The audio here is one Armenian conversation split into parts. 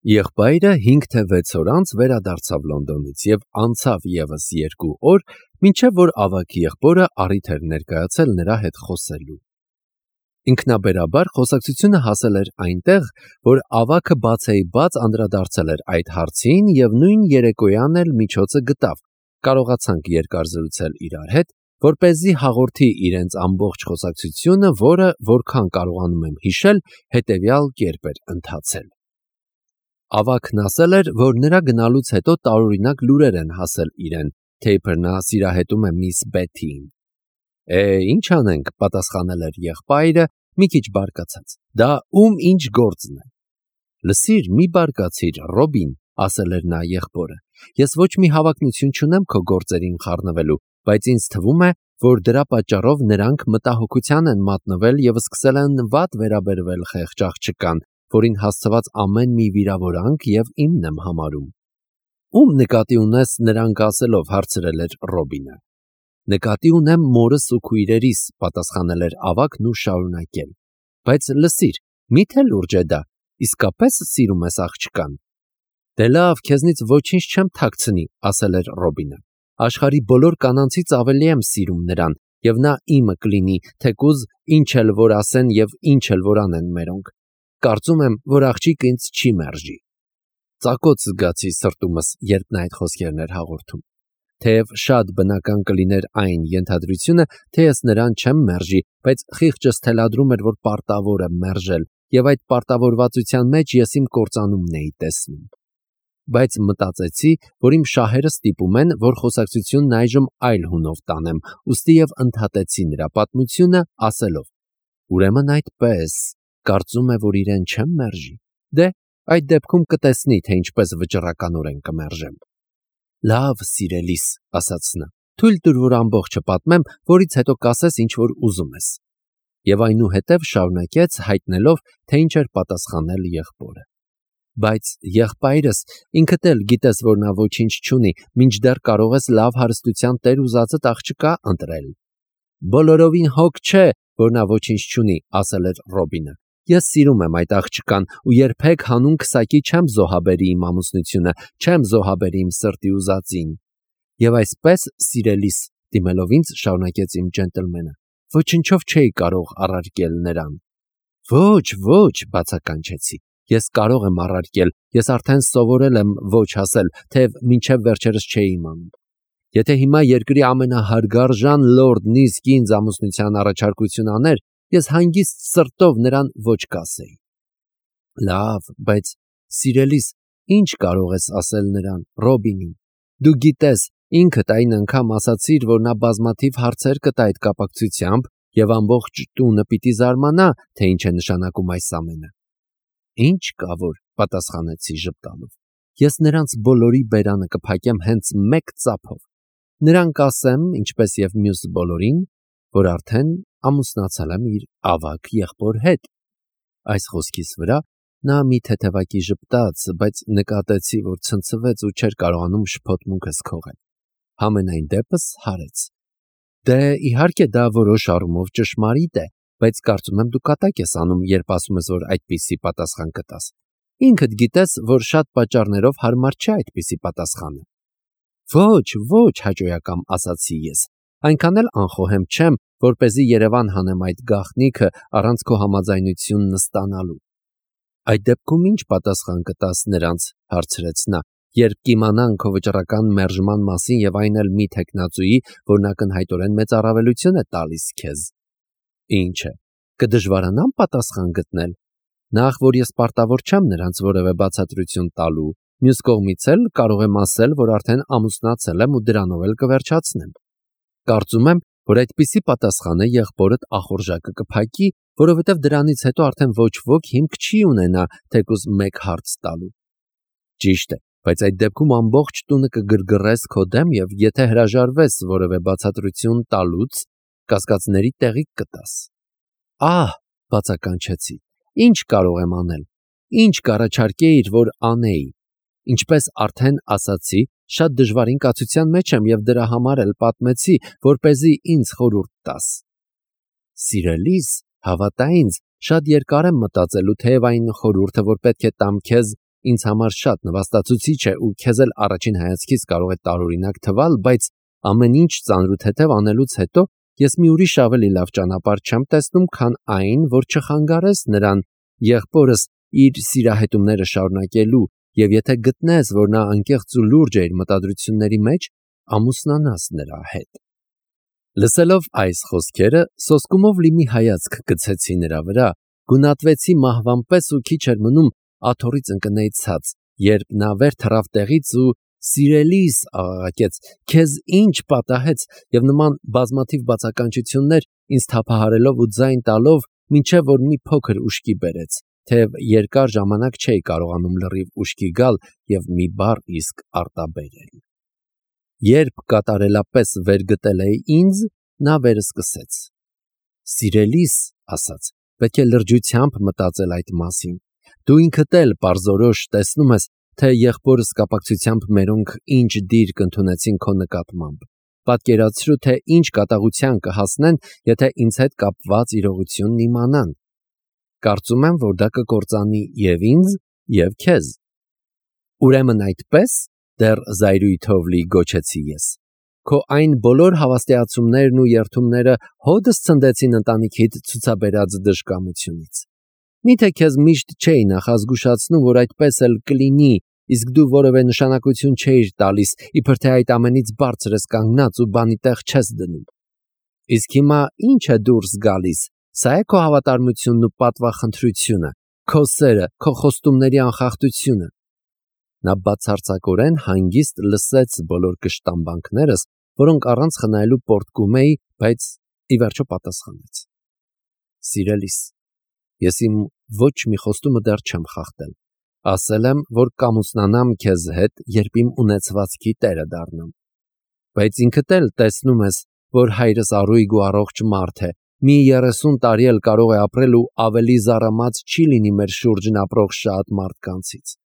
Եղբայրը 5 թե 6 օր անց վերադարձավ Լոնդոնից և անցավ ևս 2 օր, մինչև որ ավագ եղբորը առիթ էր ներկայացել նրա հետ խոսելու։ Ինքնաբերաբար խոսակցությունը հասել էր այնտեղ, որ ավագը բացեիբաց անդրադարձել էր այդ հարցին և նույն երեկոյան էլ միջոցը գտավ, կարողացանք երկար զրուցել իրար հետ, որպեսզի հաղորդի իրենց ամբողջ խոսակցությունը, որը, որքան կարողանում եմ հիշել, հետևյալ կերպ էր ընթացել։ Ավագն ասել էր, որ նրա գնալուց հետո տարօրինակ լուրեր են հասել իրեն, թե իբր նա սիրահետում է միս Բեթիին։ Ինչ անենք, պատասխանել էր եղբայրը, մի քիչ բարկացած, դա ում ինչ գործն է։ Լսիր, մի բարկացիր, Ռոբին, ասել էր նա եղբորը, ես ոչ մի հավակնություն չունեմ քո գործերին խառնվելու, բայց ինձ թվում է, որ դրա պատճառով նրանք մտահոգության են մատնվել և սկսել են վատ վերաբերվել խեղճ աղջկան, որին հասցված ամեն մի վիրավորանք և իմն եմ համարում։ Ում նկատի ունես նրանք ասելով, հարցրել էր Ռոբինը։ Նկատի ունեմ մորս ու քույրերիս, պատասխանել էր ավագն ու շարունակել։ Բայց լսիր, միթե լուրջ է դա, իսկապես սիրում ես աղջկան։ Դե լավ, քեզնից ոչինչ չեմ թաքցնի, ասել էր Ռոբինը։ Աշխարհի բոլոր կանանցից ավելի եմ սիրում նրան, և նա իմը կլինի, թեկուզ ինչ էլ որ ասեն և ինչ էլ որ անեն մերոնք։ Կարծում եմ, որ աղջիկը ինձ չի մերժի։ Ծակոց զգացի սրտումս, երբ նա այդ խոսքերն էր հաղորդում։ Թեև շատ բնական կլիներ այն ենթադրությունը, թե ես նրան չեմ մերժի, բայց խիղճս թելադրում էր, որ պարտավոր եմ մերժել, և այդ պարտավորվածության մեջ ես իմ կործանումն էի տեսնում։ Բայց մտածեցի, որ իմ շահերը ստիպում են, որ խոսակցությունն այժմ այլ հունով տանեմ, ուստի և ընդհատեցի նրա պատմությունը, ասելով. Ուրեմն այդպես, կարծում է, որ իրեն չեմ մերժի։ Դե, այդ դեպքում կտեսնի, թե ինչպես վճռականորեն կմերժեմ։ Լավ, սիրելիս, ասաց նա, թույլ տուր, որ ամբողջը պատմեմ, որից հետո կասես, ինչ որ ուզում ես։ Եվ այնուհետև շարունակեց, հայտնելով, թե ինչ էր պատասխանել եղբորը։ Բայց եղբայրս, ինքդ էլ գիտես, որ նա ոչինչ չունի, մինչդեռ կարող ես լավ հարստության տեր ուզածդ աղջկա ընտրել։ Բոլորովին հոգ չէ, որ նա ոչինչ չունի, ասել էր Ռոբինը։ Ես սիրում եմ այդ աղջկան ու երբեք հանուն քսակի չեմ զոհաբերի իմ ամուսնությունը, չեմ զոհաբերի իմ սրտի ուզածին։ Եվ այսպես, սիրելիս, դիմելով ինձ, շարունակեց իմ ջենտլմենը, ոչնչով չէի կարող առարկել նրան։ Ոչ, բացականչեցի։ Ես կարող եմ առարկել, ես արդեն սովորել եմ ոչ ասել, թեև մինչև վերջերս չէի իմանում։ Եթե հիմա երկրի ամենահարգարժան լորդն իսկ ինձ ամուսնության առաջարկություն աներ, ես հանգիստ սրտով նրան ոչ կասեի։ Լավ, բայց սիրելիս, ինչ կարող ես ասել նրան, Ռոբինին։ Դու գիտես, ինքդ այն անգամ ասացիր, որ նա բազմաթիվ հարցեր կտա այդ կապակցությամբ և ամբողջ տունը պիտի զարմանա, թե ինչ է նշանակում այս ամենը։ Ինչ կա որ, պատասխանեցի ժպտալով։ Ես նրանց բոլորի բերանը կփակեմ հենց մեկ ծափով։ Նրան կասեմ, ինչպես և մյուս բոլորին, որ արդեն ամուսնացել եմ իր ավագ եղբոր հետ։ Այս խոսքիս վրա նա մի թեթևակի ժպտաց, բայց նկատեցի, որ ցնցվեց ու չէր կարողանում շփոթմունքս քողել։ Համենայն դեպս հարեց։ Դե իհարկե դա որոշ առումով ճշմարիտ է, բայց կարծում եմ դու կատակ ես անում, երբ ասում ես, որ այդպիսի պատասխան կտաս։ Ինքդ գիտես, որ շատ պատճառներով հարմար չէ այդպիսի պատասխանը։ Ոչ, հաճոյակամ ասացի ես։ Այնքան էլ անխոհեմ չեմ, որպեսզի Երևան հանեմ այդ գաղտնիքը առանց քո համաձայնությունն ստանալու։ Այդ դեպքում ինչ պատասխան կտաս նրանց, հարցրեց նա, երբ կիմանան քո վճռական մերժման մասին և այն էլ մի թեկնածուի, որն ակնհայտորեն մեծ առավելություն է տալիս քեզ։ Ինչ է, կդժվարանամ պատասխան գտնել։ Նախ, որ ես պարտավոր չեմ նրանց որևէ բացատրություն տալու, մյուս կողմից էլ կարող եմ ասել, որ արդեն ամուսնացել եմ ու դրանով էլ կվերջացնեմ։ Կարծում եմ, որ այդպիսի պատասխանը եղբորդ ախորժակը կփակի, որովհետև դրանից հետո արդեն ոչ ոք հիմք չի ունենա թեկուզ մեկ հարց տալու։ Ճիշտ է, բայց այդ դեպքում ամբողջ տունը կգրգռես քո դեմ և եթե հրաժարվես որևէ բացատրություն տալուց, կասկածների տեղիք կտաս։ Բացականչեցի, ինչ կարող եմ անել, ինչ կառաջարկեիր, որ անեի։ Ինչպես արդեն ասացի, շատ դժվարին կացության մեջ եմ և դրա համար էլ պատմեցի, որպեսզի ինձ խորհուրդ տաս։ Սիրելիս, հավատա ինձ, շատ երկար եմ մտածելու, թեև այն խորհուրդը, որ պետք է տամ քեզ, ինձ համար շատ նվաստացուցիչ է ու քեզ էլ առաջին հայացքից կարող է տարօրինակ թվալ, բայց ամեն ինչ ծանրութեթև անելուց հետո ես մի ուրիշ ավելի լավ ճանապարհ չեմ տեսնում, քան այն, որ չխանգարես նրան եղբորս իր սիրահետումները շարունակելու եւ եթե գտնես, որ նա անկեղծ ու լուրջ է իր մտադրությունների մեջ, ամուսնանաս նրա հետ։ Լսելով այս խոսքերը, սոսկումով լի մի հայացք գցեցի նրա վրա, գունատվեցի մահվան պես ու քիչ էր մնում աթոռից ընկնեի ցած, երբ նա վեր թռավ տեղից ու «Սիրելիս» աղաղակեց, «Քեզ ինչ պատահեց» եւ նման բազմաթիվ բացականչություններ ինձ թափահարելով ու ձայն տալով, մինչև որ մի փոքր ուշքի բերեց, թեև երկար ժամանակ չէի կարողանում լրիվ ուշքի գալ եւ մի բառ իսկ արտաբերել։ Երբ կատարելապես վերգտել էի ինձ, նա վերսկսեց. «Սիրելիս», ասաց, «պետք է լրջությամբ մտածել այդ մասին։ Դու ինքդ էլ պարզորոշ տեսնում ես, թե եղբորս կապակցությամբ մերոնք ինչ դիր կընդունեցին քո նկատմամբ։ Պատկերացրու, թե ինչ կատաղության կհասնեն, եթե ինձ հետ կապված իրողությունն իմանան։ Կարծում եմ, որ դա կկործանի եւ ինձ, եւ քեզ»։ «Ուրեմն այդպես», դեռ զայրույթով լի գոչեցի ես, «քո այն բոլոր հավաստիացումներն ու երդումները հոդս ցնդեցին ընտանիքիդ ցուցաբերած դժկամությունից։ Միթե քեզ միշտ չէի նախազգուշացնում, որ այդպես էլ կլինի, իսկ դու որևէ նշանակություն չէիր տալիս, իբր թե այդ ամենից բարձր ես կանգնած ու բանի տեղ չես դնում։ Իսկ հիմա ինչ է դուրս գալիս, սա է քո հավատարմությունն ու պատվախնդրությունը, քո սերը, քո խոստումների անխախտությունը»։ Նա բացարձակորեն հանգիստ լսեց բոլոր կշտամբանքներս, որոնք առանց խնայելու պոռթկում էի, բայց ի վերջո պատասխանեց. «Սիրելիս, ես իմ ոչ մի խոստումը դեռ չեմ խախտել։ Ասել եմ, որ կամուսնանամ քեզ հետ, երբ իմ ունեցվածքի տերը դառնամ։ Բայց ինքդ էլ տեսնում ես, որ հայրս առույգ ու առողջ մարդ է, մի 30 տարի էլ կարող է ապրել ու ավելի զառամած չի լինի մեր շուրջն ապրող շատ մարդկանցից։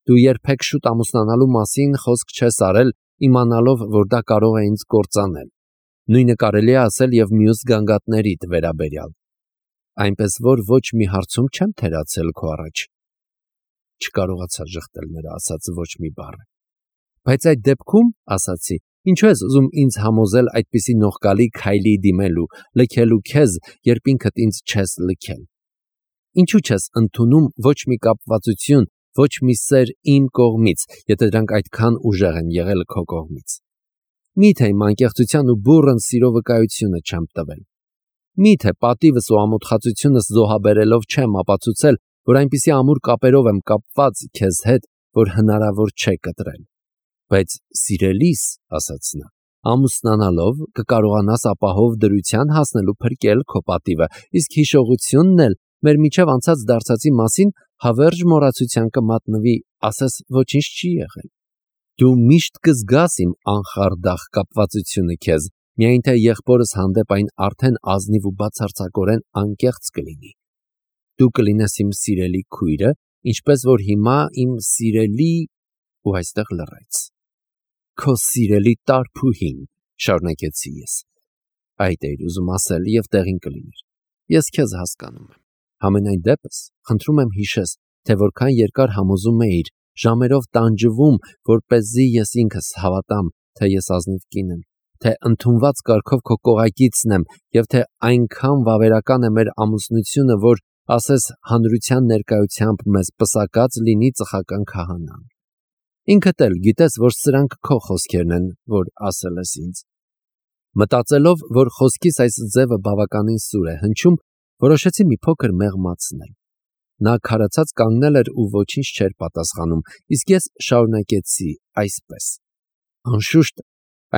Դու երբեք շուտ ամուսնանալու մասին խոսք չես արել, իմանալով, որ դա կարող է ինձ կործանել։ Նույնը կարելի է ասել եւ մյուս գանգատներիդ վերաբերյալ։ Այնպես որ ոչ մի հարցում չեմ թերացել քո առաջ»։ Չկարողացա ժխտել նրա ասած ոչ մի բառը։ «Բայց այդ դեպքում, ասացի, ինչու ես ուզում ինձ համոզել այդպիսի նողկալի քայլի դիմելու, լքելու քեզ, երբ ինքդ ինձ չես լքել։ Ինչու չես ընդունում ոչ մի կապվածություն, ոչ մի սեր իմ կողմից, եթե դրանք այդքան ուժեղ են եղել քո կողմից։ Միթե իմ անկեղծության ու բուռն սիրո վկայությունը չեմ տվել։ Միթե պատիվս ու ամոթխածությունս զոհաբերելով չեմ ապացուցել, որ այնպիսի ամուր կապերով եմ կապված քեզ հետ, որ հնարավոր չէ կտրել։ Բայց սիրելիս, ասաց նա, ամուսնանալով կկարողանաս ապահով դրության հասնելու փրկել քո պատիվը, իսկ հիշողությունն էլ մեր միջև անցած դարձածի մասին հավերժ մոռացության կմատնվի, ասես ոչինչ չի եղել։ Դու միշտ կզգաս իմ անխարդախ կապվածությունը քեզ, միայն թե եղբորս հանդեպ այն արդեն ազնիվ ու բացարձակորեն անկեղծ կլինի։ Դու կլինես իմ սիրելի քույրը, ինչպես որ հիմա իմ սիրելի ու այստեղ լռեց։ Քո սիրելի տարփուհին, շարունակեցի ես։ Այդ էիր ուզում ասել եւ տեղին կլիներ։ Ես քեզ հասկանում եմ։ Համենայն դեպս, խնդրում եմ հիշես, թե որքան երկար համոզում էիր, ժամերով տանջվում, որպեսզի ես ինքս հավատամ, թե ես ազնիվ կին եմ, թե ընդունված կարգով քո կողակիցն եմ եւ թե այնքան վավերական է մեր ամուսնությունը, որ ասես հանրության ներկայությամբ մեզ պսակած լինի ծխական քահանան։ Ինքդ էլ գիտես, որ սրանք քո խոսքերն են, որ ասել ես ինձ։ Մտածելով, որ խոսքիս այս ձևը բավականին սուր է հնչում, որոշեցի մի փոքր մեղմացնել։ Նա քարացած կանգնել էր ու ոչինչ չէր պատասխանում, իսկ ես շարունակեցի այսպես. «Անշուշտ,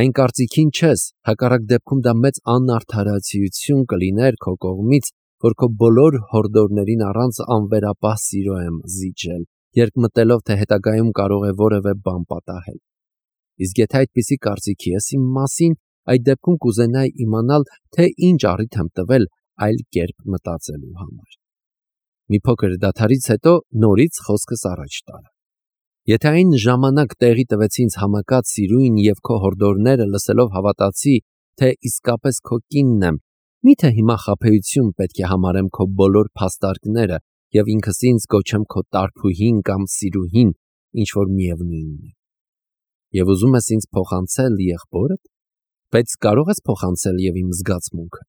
այն կարծիքին չես, հակառակ դեպքում դա մեծ անարդարացիություն կլիներ քո կողմից, որ քո բոլոր հորդորներին առանց անվերապահ սիրո եմ զիջել, երբ մտելով, թե հետագայում կարող է որևէ բան պատահել։ Իսկ եթե այդպիսի կարծիքի ես իմ մասին, այդ դեպքում կուզենայի իմանալ, թե ինչ առիթ եմ տվել այլ կերպ մտածելու համար»։ Մի փոքր դադարից հետո նորից խոսքս առաջ տարա. «Եթե այն ժամանակ տեղի տվեցի ինձ համակած սիրույն եւ քո հորդորները լսելով հավատացի, թե իսկապես քո կինն եմ, միթե հիմա խաբեություն պետք է համարեմ քո բոլոր փաստարկները, եւ ինքս ինձ կոչեմ քո տարփուհին կամ սիրուհին, ինչ որ միևնույնն է։ Եվ ուզում ես ինձ փոխանցել եղբորդ, բայց կարող ես փոխանցել եւ իմ զգացմունքը։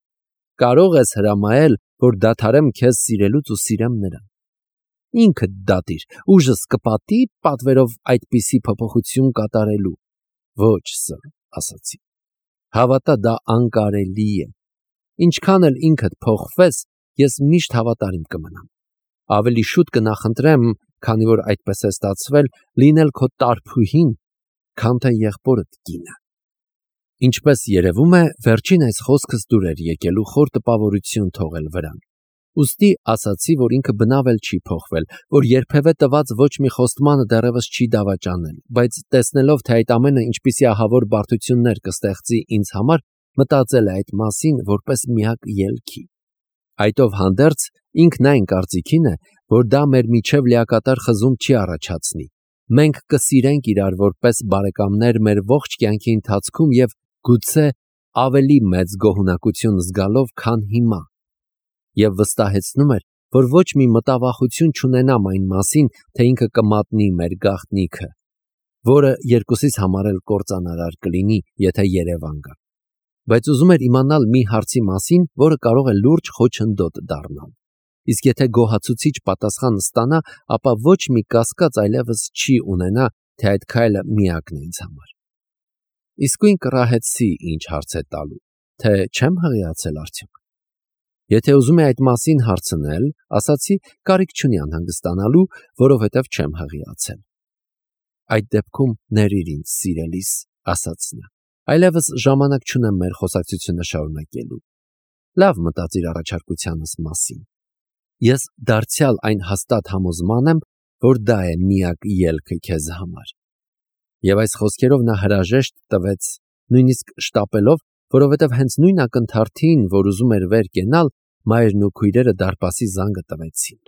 Կարող ես հրամայել, որ դադարեմ քեզ սիրելուց ու սիրեմ նրան։ Ինքդ դատիր, ուժս կպատի պատվերով այդպիսի փոփոխություն կատարելու։ Ոչ, սըր, ասացի։ Հավատա, դա անկարելի է։ Ինչքան էլ ինքդ փոխվես, ես միշտ հավատարիմ կմնամ։ Ավելի շուտ կնախընտրեմ, քանի որ այդպես է ստացվել, լինել քո տարփուհին, քան թե եղբորդ կինը։ Ինչպես երևում է, վերջին այս խոսքս դուր էր եկել ու խոր տպավորություն թողել վրան։ Ուստի ասացի, որ ինքը բնավ էլ չի փոխվել, որ երբևէ տված ոչ մի խոստմանը դեռևս չի դավաճանել, բայց տեսնելով, թե այդ ամենը ինչպիսի ահավոր բարդություններ կստեղծի ինձ համար, մտածել է այդ մասին որպես միակ ելքի։ Այդով հանդերձ ինքն այն կարծիքին է, որ դա մեր միջև լիակատար խզում չի առաջացնի։ Մենք կսիրենք իրար որպես բարեկամներ մեր ողջ կյանքի ընթացքում եւ գուցե ավելի մեծ գոհունակություն զգալով, քան հիմա։ Եվ վստահեցնում էր, որ ոչ մի մտավախություն չունենամ այն մասին, թե ինքը կմատնի մեր գաղտնիքը, որը երկուսիս համար էլ կործանարար կլինի, եթե Երևան գա։ Բայց ուզում էր իմանալ մի հարցի մասին, որը կարող է լուրջ խոչընդոտ դառնալ։ Իսկ եթե գոհացուցիչ պատասխան ստանա, ապա ոչ մի կասկած այլևս չի ունենա, թե այդ քայլը միակն է ինձ համար։ Իսկույն կռահեցի ինչ հարց է տալու, թե չեմ հղիացել արդյոք։ Եթե ուզում է այդ մասին հարցնել, ասացի, կարիք չունի անհանգստանալու, որովհետև չեմ հղիացել։ Այդ դեպքում ներիր ինձ, սիրելիս, ասաց նա։ Այլևս ժամանակ չունեմ մեր խոսակցությունը շարունակելու։ Լավ մտածիր առաջարկությանս մասին։ Ես դարձյալ այն հաստատ համոզման եմ, որ դա է միակ ելքը քեզ համար։ Եվ այս խոսքերով նա հրաժեշտ տվեց, նույնիսկ շտապելով, որովհետև հենց նույն ակնթարթին, որ ուզում էր վեր կենալ, մայրն ու քույրերը դարպասի զանգը տվեցին։